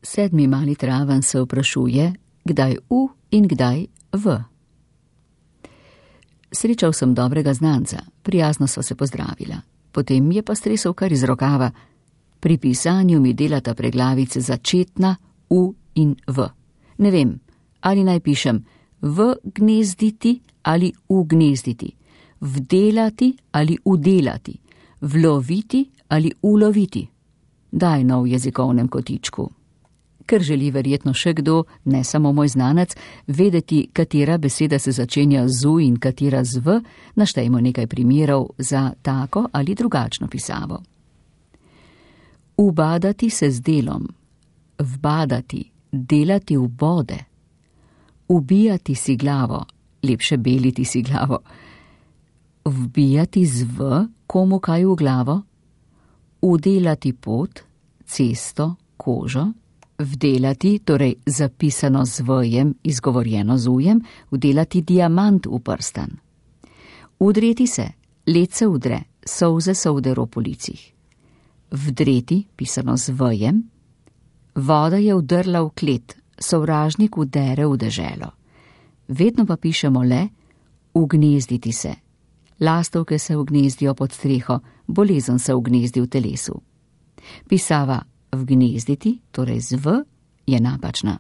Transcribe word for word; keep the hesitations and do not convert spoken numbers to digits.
Sedmi mali traven se vprašuje, kdaj u in kdaj v. Srečal sem dobrega znanca, prijazno sva se pozdravila. Potem je pa stresel kar iz rokava. Pri pisanju mi delata preglavice začetna u in v. Ne vem, ali naj pišem v gnezditi ali ugnezditi, vdelati ali udelati, vloviti ali uloviti. Daj no v jezikovnem kotičku. Ker želi verjetno še kdo, ne samo moj znanec, vedeti, katera beseda se začenja z u in katera z v, naštejmo nekaj primerov za tako ali drugačno pisavo. Ubadati se z delom, vbadati, delati v bode, ubijati si glavo, lepše beliti si glavo, vbijati z v komu kaj v glavo, udelati pot, cesto, kožo, vdelati, torej zapisano z vjem, izgovorjeno z ujem, vdelati diamant v prstan. Udreti se, led se udre, solze se udero po licih. Vdreti, pisano z vjem, voda je vdrla v klet, sovražnik vdere v deželo. Vedno pa pišemo le ugnezditi se. Lastovke se ugnezdijo pod streho, bolezen se ugnezdi v telesu. Pisava vgnezditi, torej z v, je napačna.